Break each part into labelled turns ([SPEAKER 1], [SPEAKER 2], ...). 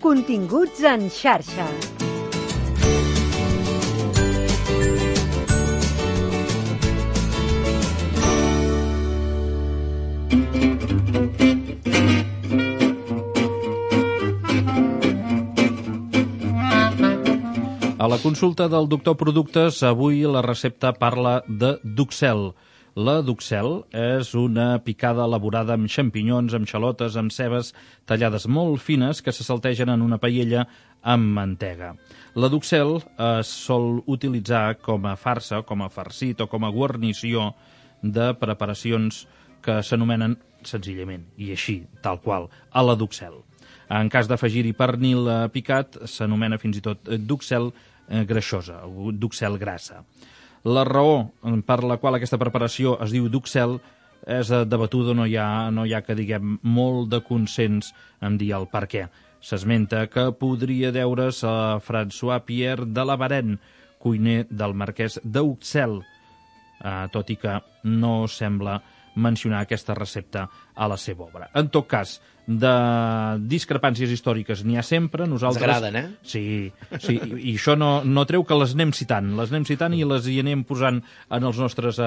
[SPEAKER 1] Continguts en xarxa.
[SPEAKER 2] A la consulta del doctor Productes, avui la recepta parla de duxel. La duxel és una picada elaborada amb xampinyons, amb xalotes, amb cebes tallades molt fines que se saltegen en una paella amb mantega. La duxel es sol utilitzar com a farsa, com a farcit o com a guarnició de preparacions que s'anomenen senzillament, i així, tal qual, a la duxel. En cas d'afegir-hi pernil picat, s'anomena fins i tot duxel greixosa, o duxel grassa. La raó per la qual aquesta preparació es diu duxel és debatuda, no hi ha que diguem molt de consens en dir el per què. S'esmenta que podria deure's a François Pierre de la Varenne, cuiner del marquès d'Uxelles, tot i que no sembla mencionar aquesta recepta a la seva obra. En tot cas, de discrepàncies històriques n'hi ha sempre. Nosaltres...
[SPEAKER 3] Ens agraden, eh?
[SPEAKER 2] Sí, i això no treu que les anem citant i les hi anem posant en els nostres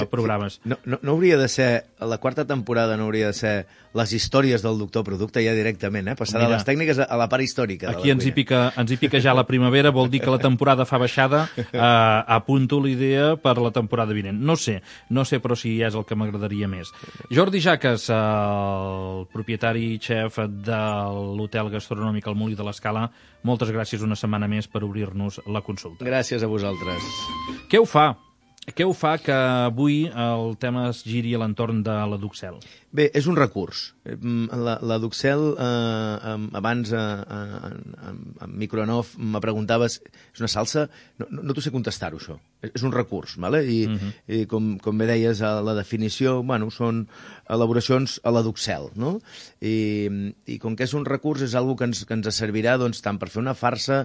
[SPEAKER 2] programes.
[SPEAKER 3] No hauria de ser, a la quarta temporada no hauria de ser les històries del doctor Producte ja directament, passar de les tècniques a la part històrica.
[SPEAKER 2] Aquí ens hi pica ja la primavera, vol dir que la temporada fa baixada, apunto l'idea per la temporada vinent. No sé, però si és el que m'agradaria més. Jordi Jaques, el propietari i xef de l'hotel gastronòmic El Molí de l'Escala, moltes gràcies una setmana més per obrir-nos la consulta.
[SPEAKER 3] Gràcies a vosaltres.
[SPEAKER 2] Què ho fa que avui el tema es giri a l'entorn de la duxel?
[SPEAKER 3] Bé, és un recurs. La duxel, abans en micronof me preguntaves, és una salsa? No t'ho sé contestar-ho, això. És un recurs, ¿vale? I com bé deies, la definició, són elaboracions a la duxel, no? I com que és un recurs, és una cosa que ens servirà tant per fer una farsa,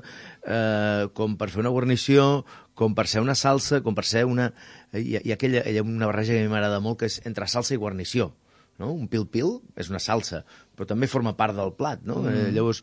[SPEAKER 3] com per fer una guarnició, com per ser una salsa, com per ser una... Hi ha una barreja que a mi m'agrada molt, que és entre salsa i guarnició. No? Un pil-pil és una salsa, però també forma part del plat, no? Llavors,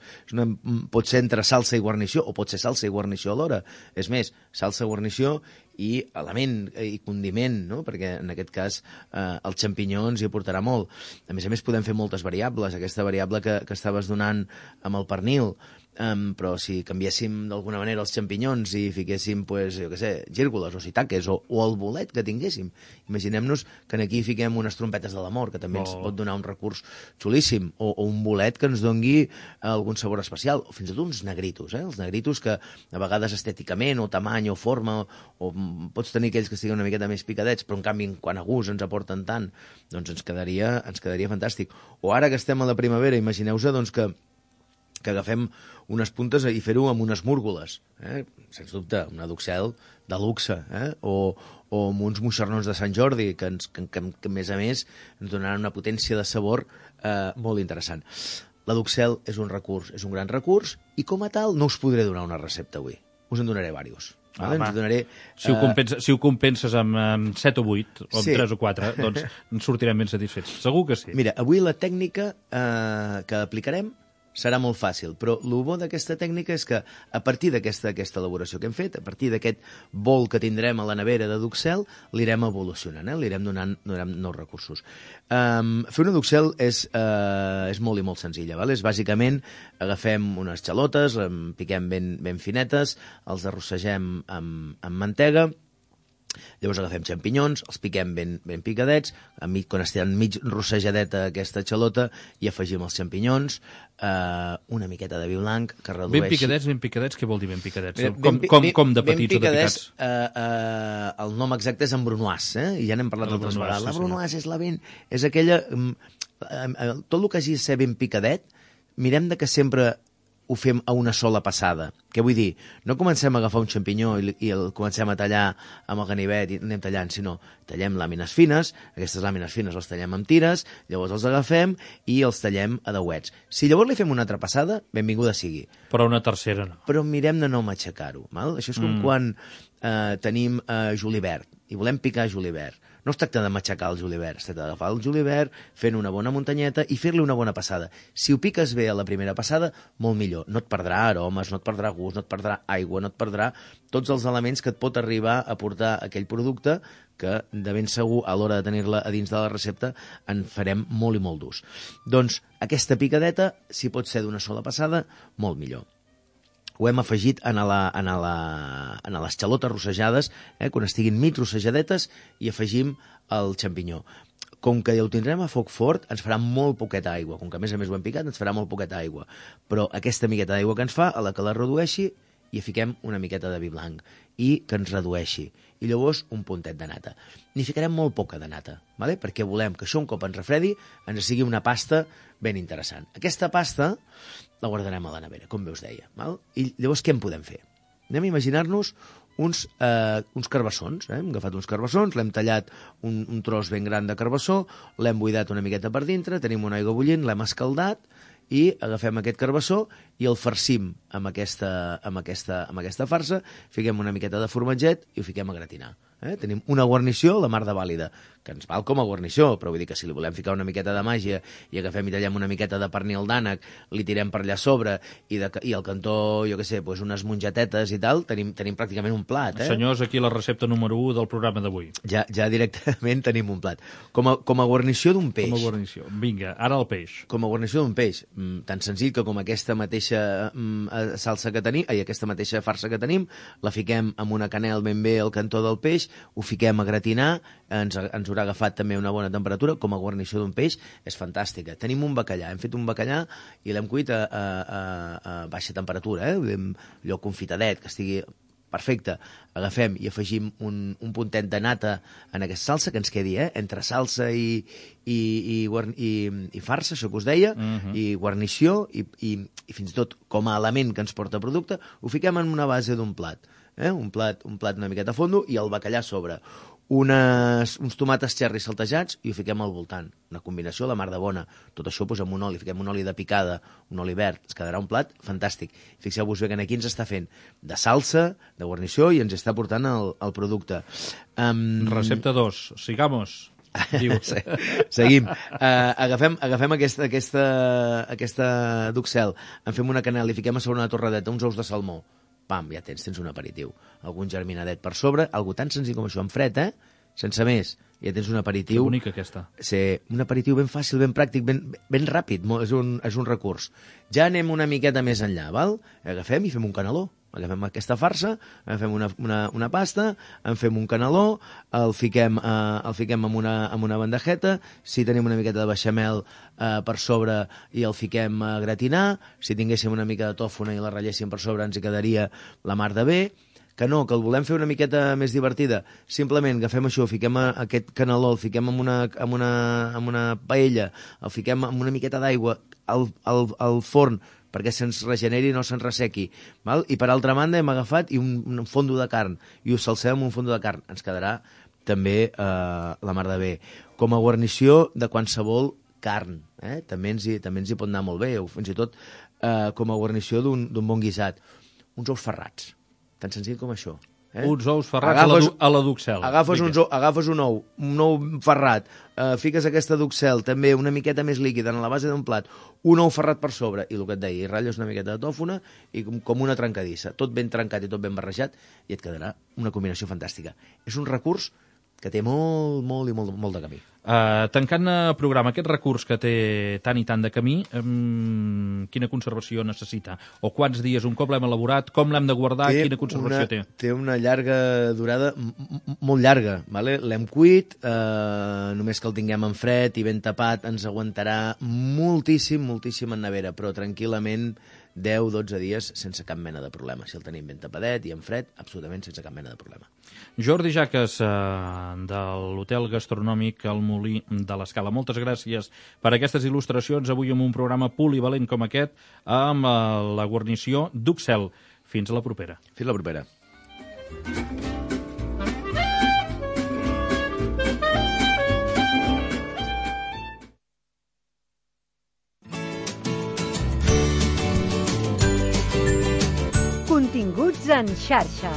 [SPEAKER 3] pot ser entre salsa i guarnició, o pot ser salsa i guarnició alhora. És més, salsa, guarnició i element i condiment, no? Perquè en aquest cas el xampinyó ens hi aportarà molt. A més, podem fer moltes variables. Aquesta variable que estaves donant amb el pernil, però si canviéssim d'alguna manera els xampinyons i fiquéssim, gírgoles o sitaques o el bolet que tinguéssim. Imaginem-nos que aquí fiquem unes trompetes de l'amor, que també ens pot donar un recurs xulíssim, o un bolet que ens dongui algun sabor especial, o fins i tot uns negritos, els negritos que a vegades estèticament o tamany o forma, o pots tenir aquells que estiguin una miqueta més picadets, però en canvi quan a gust ens aporten tant, doncs ens quedaria fantàstic. O ara que estem a la primavera, imagineu-vos que agafem unes puntes i fer-ho amb unes múrgoles, sens dubte, una duxel de luxe, o amb uns moixernons de Sant Jordi, que a més ens donaran una potència de sabor molt interessant. La duxel és un recurs, és un gran recurs, i com a tal no us podré donar una recepta avui. Us en donaré diversos.
[SPEAKER 2] Si ho compenses amb 7 o 8, o amb 3 o 4, doncs ens sortirem ben satisfets. Segur que sí.
[SPEAKER 3] Mira, avui la tècnica que aplicarem serà molt fàcil, però el bo d'aquesta tècnica és que a partir d'aquesta elaboració que hem fet, a partir d'aquest bol que tindrem a la nevera de duxel, l'irem evolucionant, li irem donant nous recursos. Fer una duxel és molt i molt senzilla, és bàsicament agafem unes xalotes, piquem ben finetes, els arrossegem amb mantega, llavors agafem xampinyons, els piquem ben picadets, quan estan mig rossejadeta aquesta xalota, i afegim els xampinyons, una miqueta de vi blanc que redueixi...
[SPEAKER 2] Ben picadets, què vol dir ben picadets? Com de petits o de picats?
[SPEAKER 3] El nom exacte és embrunoise, i ja n'hem parlat altres vegades. La brunoise és aquella... Tot el que hagi de ser ben picadet, mirem que sempre ho fem a una sola passada. Què vull dir? No comencem a agafar un xampinyó i el comencem a tallar amb el ganivet i anem tallant, sinó tallem làmines fines, aquestes làmines fines les tallem amb tires, llavors els agafem i els tallem a dauets. Si llavors li fem una altra passada, benvinguda sigui.
[SPEAKER 2] Però una tercera no.
[SPEAKER 3] Però mirem de no matxacar-ho. Això és com quan tenim julivert i volem picar julivert. No es tracta de matxacar el julivert, es tracta d'agafar el julivert, fent una bona muntanyeta i fer-li una bona passada. Si ho piques bé a la primera passada, molt millor. No et perdrà aromes, no et perdrà gust, no et perdrà aigua, no et perdrà tots els elements que et pot arribar a portar aquell producte que de ben segur a l'hora de tenir-la a dins de la recepta en farem molt i molt d'ús. Doncs aquesta picadeta, si pot ser d'una sola passada, molt millor. Ho hem afegit en les xalotes rossejades, quan estiguin mig rossejadetes, i afegim el xampinyó. Com que ja ho tindrem a foc fort, ens farà molt poqueta aigua. Com que a més ho hem picat, ens farà molt poqueta aigua. Però aquesta miqueta d'aigua que ens fa, a la que la redueixi, hi fiquem una miqueta de vi blanc i que ens redueixi. I llavors un puntet de nata. N'hi ficarem molt poca de nata, ¿vale? Perquè volem que això un cop ens refredi ens sigui una pasta ben interessant. Aquesta pasta la guardarem a la nevera, com bé us deia. Val? I llavors què en podem fer? Anem a imaginar-nos uns carbassons. Hem agafat uns carbassons, l'hem tallat un tros ben gran de carbassó, l'hem buidat una miqueta per dintre, tenim una aigua bullint, l'hem escaldat i agafem aquest carbassó i el farcim amb aquesta farsa, fiquem una miqueta de formatget i ho fiquem a gratinar. Tenim una guarnició, la mar de vàlida, que ens val com a guarnició, però vull dir que si li volem ficar una miqueta de màgia i agafem i tallem una miqueta de pernil d'ànec, li tirem per allà a sobre i al cantó, jo què sé, unes mongetetes i tal, tenim pràcticament un plat.
[SPEAKER 2] Senyors, aquí la recepta número 1 del programa d'avui.
[SPEAKER 3] Ja directament tenim un plat. Com a guarnició d'un peix.
[SPEAKER 2] Com a guarnició. Vinga, ara el peix.
[SPEAKER 3] Com a guarnició d'un peix. Tan senzill que com aquesta mateixa salsa que tenim, aquesta mateixa farsa que tenim, la fiquem amb una canel ben bé al cantó del peix, ho fiquem a gratinar, ens haurà agafat també una bona temperatura, com a guarnició d'un peix, és fantàstica. Tenim un bacallà, hem fet un bacallà i l'hem cuit a baixa temperatura, allò confitadet, que estigui perfecte. Agafem i afegim un puntet de nata en aquesta salsa, que ens quedi entre salsa i farsa, això que us deia, i guarnició, i fins i tot com a element que ens porta producte, ho fiquem en una base d'un plat. Un plat una miqueta a fondo i el bacallà a sobre. Uns tomates cherry saltejats i ho fiquem al voltant. Una combinació a la mar de bona. Tot això amb un oli, fiquem un oli de picada, un oli verd, ens quedarà un plat fantàstic. Fixeu-vos bé que aquí ens està fent de salsa, de guarnició, i ens està portant el producte.
[SPEAKER 2] Recepta 2, sigamos. Diu.
[SPEAKER 3] Seguim. Agafem aquesta duxel, en fem una canela i fiquem a sobre una torradeta, uns ous de salmó. Pam, ja tens un aperitiu. Algun germinadet per sobre, algo tan senzill com això, en fred, sense més. Ja tens un aperitiu...
[SPEAKER 2] Que bonica, aquesta.
[SPEAKER 3] Sí, un aperitiu ben fàcil, ben pràctic, ben ràpid, és un recurs. Ja anem una miqueta més enllà, val? Agafem i fem un caneló. Agafem aquesta farsa, agafem una pasta, en fem un caneló, el fiquem amb una bandejeta, si tenim una miqueta de beixamel per sobre i el fiquem a gratinar, si tinguéssim una mica de tòfona i la ratlléssim per sobre ens hi quedaria la mar de bé, que no, que el volem fer una miqueta més divertida, simplement agafem això, fiquem aquest caneló, el fiquem amb una paella, el fiquem amb una miqueta d'aigua al forn, perquè se'ns regeneri i no se'ns ressequi. Val? I per altra banda hem agafat un fondo de carn i ho salsem amb un fondo de carn. Ens quedarà també la mar de bé. Com a guarnició de qualsevol carn. També ens hi pot anar molt bé, o fins i tot com a guarnició d'un bon guisat. Uns ous ferrats, tan senzill com això.
[SPEAKER 2] Uns ous ferrats a la duxel.
[SPEAKER 3] Agafes un ou ferrat, fiques aquesta duxel també una miqueta més líquida en la base d'un plat, un ou ferrat per sobre, i el que et deia, i ratlles una miqueta de tòfona i com una trencadissa, tot ben trencat i tot ben barrejat, i et quedarà una combinació fantàstica. És un recurs que té molt de camí.
[SPEAKER 2] Tancant el programa, aquest recurs que té tant i tant de camí, quina conservació necessita? O quants dies un cop l'hem elaborat? Com l'hem de guardar? Quina conservació té?
[SPEAKER 3] Té una llarga durada, molt llarga. Vale? L'hem cuit, només que el tinguem en fred i ben tapat, ens aguantarà moltíssim en nevera, però tranquil·lament 10-12 dies sense cap mena de problema. Si el tenim ben tapadet i en fred, absolutament sense cap mena de problema.
[SPEAKER 2] Jordi Jaques, de l'Hotel Gastronòmic El Molí de l'Escala. Moltes gràcies per aquestes il·lustracions avui en un programa polivalent com aquest amb la guarnició duxel. Fins a la propera.
[SPEAKER 3] Fins la propera.
[SPEAKER 1] Continguts en xarxa.